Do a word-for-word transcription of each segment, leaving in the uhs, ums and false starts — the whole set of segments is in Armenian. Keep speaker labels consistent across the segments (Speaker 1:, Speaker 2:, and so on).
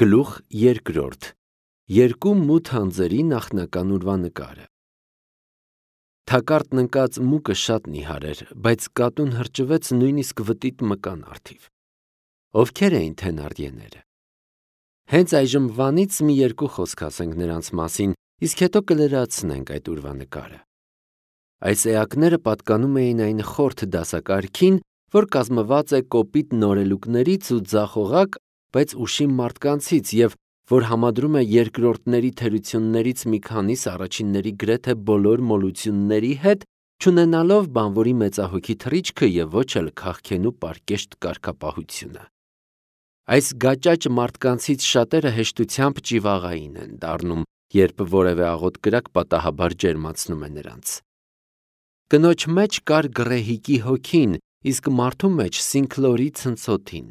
Speaker 1: Գլուխ երկրորդ. Երկու մութ անձերի նախնական ուրվանկարը։ Թակարդն ընկած մուկը շատ նիհար էր, բայց կատուն հրճվեց նույնիսկ վտիտ մկան առթիվ։ Ովքեր էին թենարդիեները։ Հենց այժմ վանից մի երկու խոսք ասենք նրանց մասին, իսկ հետո կլրացնենք այդ ուրվանկարը։ Այս էակները պատկանում էին այն խորթ դասակարգին, որ կազմված է կոպիտ նորելուկներից ու ձախողակ, բայց ուշիմ մարդկանցից և որ համադրում է երկրորդների թերություններից մի քանիս առաջինների գրեթե բոլոր մոլությունների հետ, չունենալով բանվորի մեծահոգի թռիչքը և ոչ էլ քաղքենու պարկեշտ կարգապահությունը։ Այս գաճաճ մարդկանցից շատերը հեշտությամբ ճիվաղային են դառնում, երբ որևէ աղոտ կրակ պատահաբար ջերմացնում է նրանց։ Կնոջ մեջ կար գռեհիկի հոգին, իսկ մարդու մեջ Սինքլորի ցնցոթին։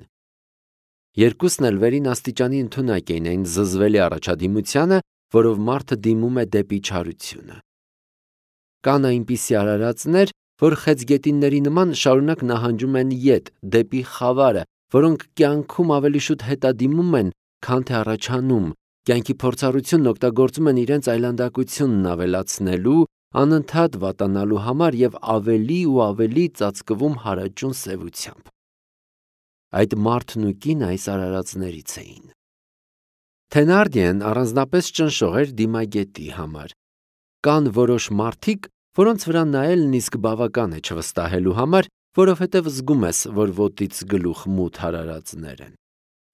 Speaker 1: Երկուսն էլ վերին աստիճանի ընդունակ էին այն զզվելի առաջադիմությանը, որով մարդը դիմում է դեպի չարությունը։ Կան այնպիսի արարածներ, որ խեցգետինների նման շարունակ նահանջում են ետ, դեպի խավարը, որոնք կյանքում ավելի շուտ հետադիմում են, քան թե առաջանում, կյանքի փորձառությունն օգտագործում են իրենց այլանդակությունն ավելացնելու, անընդհատ վատանալու համար և ավելի ու ավելի ծածկվում հարաճուն սևությամբ։ Այդ մարդն ու կինը այս արարածներից էին։ Թենարդիեն առանձնապես ճնշող էր դիմագետի համար։ Կան որոշ մարդիկ, որոնց վրա նայելն իսկ բավական է չվստահելու համար, որովհետև զգում ես, որ ոտից գլուխ մութ արարածներ են։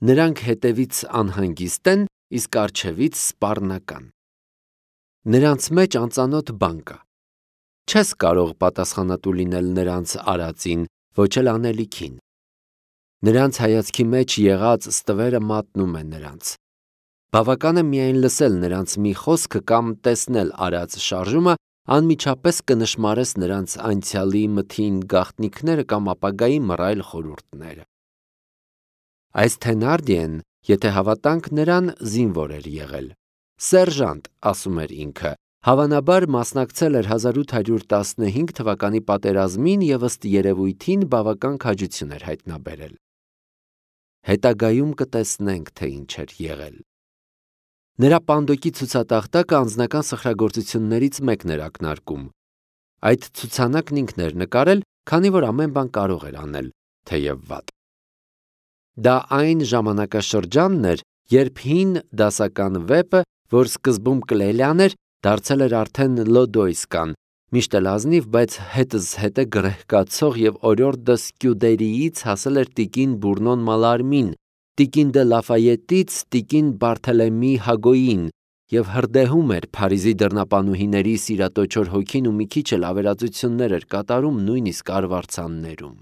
Speaker 1: Նրանք հետևից անհանգիստ են, իսկ առջևից սպառնական։ Նրանց մեջ անծանոթ բան կա։ Չես կարող պատասխանատու լինել նրանց արածին, ոչ էլ անելիքին։ Նրանց հայացքի մեջ եղած ստվերը մատնում է նրանց։ Բավական է միայն լսել նրանց մի խոսքը կամ տեսնել արած շարժումը, անմիջապես կնշմարես նրանց անցյալի մթին գաղտնիքները կամ ապագայի մռայլ խորհուրդները։ Այս Թենարդիեն, եթե հավատանք նրան, զինվոր էր եղել։ Սերժանտ, ասում էր ինքը, հավանաբար մասնակցել էր հազար ութ հարյուր տասնհինգ թվականի պատերազմին և ըստ երևույթին բավական քաջություն էր հայտնաբերել։ Հետագայում կտեսնենք, թե ինչ էր եղել։ Նրա պանդոկի ցուցատախտակը անձնական սխրագործություններից մեկն էր ակնարկում։ Այդ ցուցանակն ինքն էր նկարել, քանի որ ամեն բան կարող էր անել, թեև վատ։ Դա այն ժամանակաշրջանն էր, երբ հին դասական վեպը, որ սկզբում Կլելյան էր, դարձել էր արդեն Լոդոյսկան, միշտ էլ ազնիվ, բայց հետզհետե գրեհկացող և օրիորդը Սկյուդերիից հասել էր տիկին Բուրնոն Մալարմին, տիկին դե Լաֆայետից տիկին Բարթելեմի Հագոյին և հրդեհում էր Փարիզի դռնապանուհիների սիրատոչոր հոգին ու մի քիչ էլ ավերածություններ էր կատարում նույնիսկ արվարձաններում։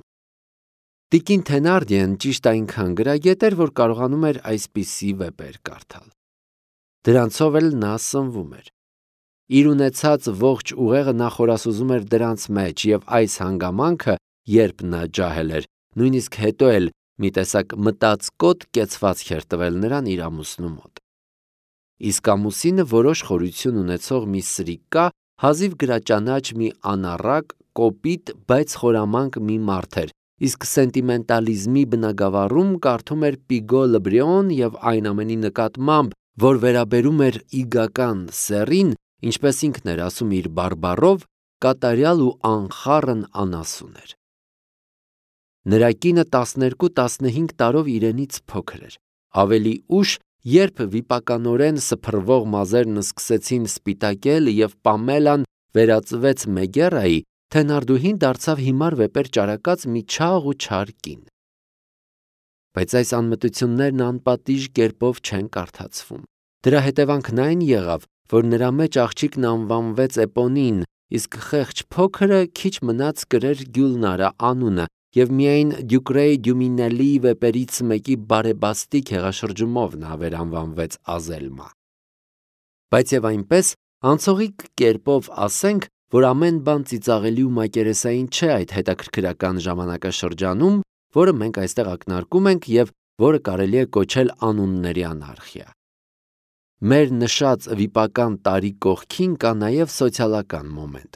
Speaker 1: Տիկին Թենարդիեն ճիշտ այնքան գրագետ էր, որ կարողանում էր այսպիսի վեպեր կարդալ։ Դրանցով էլ նա սնվում էր։ Իր ունեցած ողջ ուղեղը նա խորասուզում էր դրանց մեջ և այս հանգամանքը, երբ նա ջահել էր, նույնիսկ հետո էլ մի տեսակ մտածկոտ կեցվածք էր տվել նրան իր ամուսնու մոտ։ Իսկ ամուսինը որոշ խորություն ունեցող մի սրիկկա, հազիվ գրաճանաչ մի անառակ, կոպիտ, բայց խորամանկ մի մարդ էր, իսկ սենտիմենտալիզմի բնագավառում կարդում էր Պիգո Լը և այն ամենի նկատմամբ, որ վերաբերում էր իգական սեռին, ինչպես ինքն էր ասում իր բարբառով, կատարյալ ու անխառն անասուն էր։ Նրա կինը տասներկու տասնհինգ տարով իրենից փոքր էր։ Ավելի ուշ, երբ վիպականորեն սփռվող մազերն սկսեցին սպիտակել և Պամելան վերածվեց Մեգերայի, Թենարդուհին դարձավ հիմար վեպեր ճարակած մի չաղ ու չար կին։ Բայց այս անմտություններն անպատիժ կերպով չեն կարդացվում։ Դրա հետևանքն այն եղավ, որ նրա մեջ աղջիկն անվանվեց Էպոնին, իսկ խեղճ փոքրը քիչ մնաց կրեր Գյուլնարա անունը և միայն Դյուկրեյ Դյումինելի վեպերից մեկի բարեբաստիկ հեղաշրջումով նա վերանվանվեց Ազելմա։ Բայց և այնպես, անցողիկ կերպով ասենք, որ ամեն բան ծիծաղելի ու մակերեսային չէ այդ հետաքրքրական ժամանակաշրջանում, որը մենք այստեղ ակնարկում ենք և որը կարելի է կոչել անունների անարխիա։ Մեր նշած վիպական տարի կողքին կա նաև սոցիալական մոմենտ։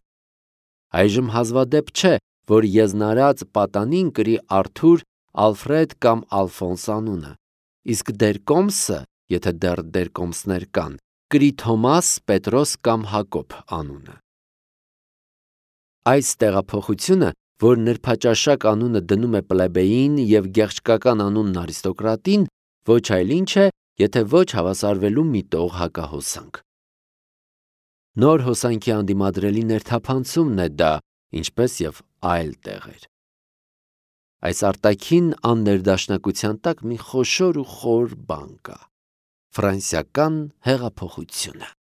Speaker 1: Այժմ հազվադեպ չէ, որ եզնարած պատանին կրի Արթուր, Ալֆրեդ կամ Ալֆոնս անունը, իսկ դեր կոմսը եթե դեռ դերկոմսներ կան, կրի Թոմաս, Պետրոս կամ Հակոբ անունը։ Այս տեղափոխությունը, որ նրբաճաշակ անունը դնում է պլեբեին և գեղչկական անունն արիստոկրատին, ոչ այլ ինչ է, եթե ոչ հավասարվելու միտող հակահոսանք։ Նոր հոսանքի անդիմադրելի ներթափանցումն է դա, ինչպես և այլ տեղեր։ Այս արտաքին աններդաշնակության տակ մի խոշոր ու խոր բան կա՝ ֆրանսիական հեղափոխությունը։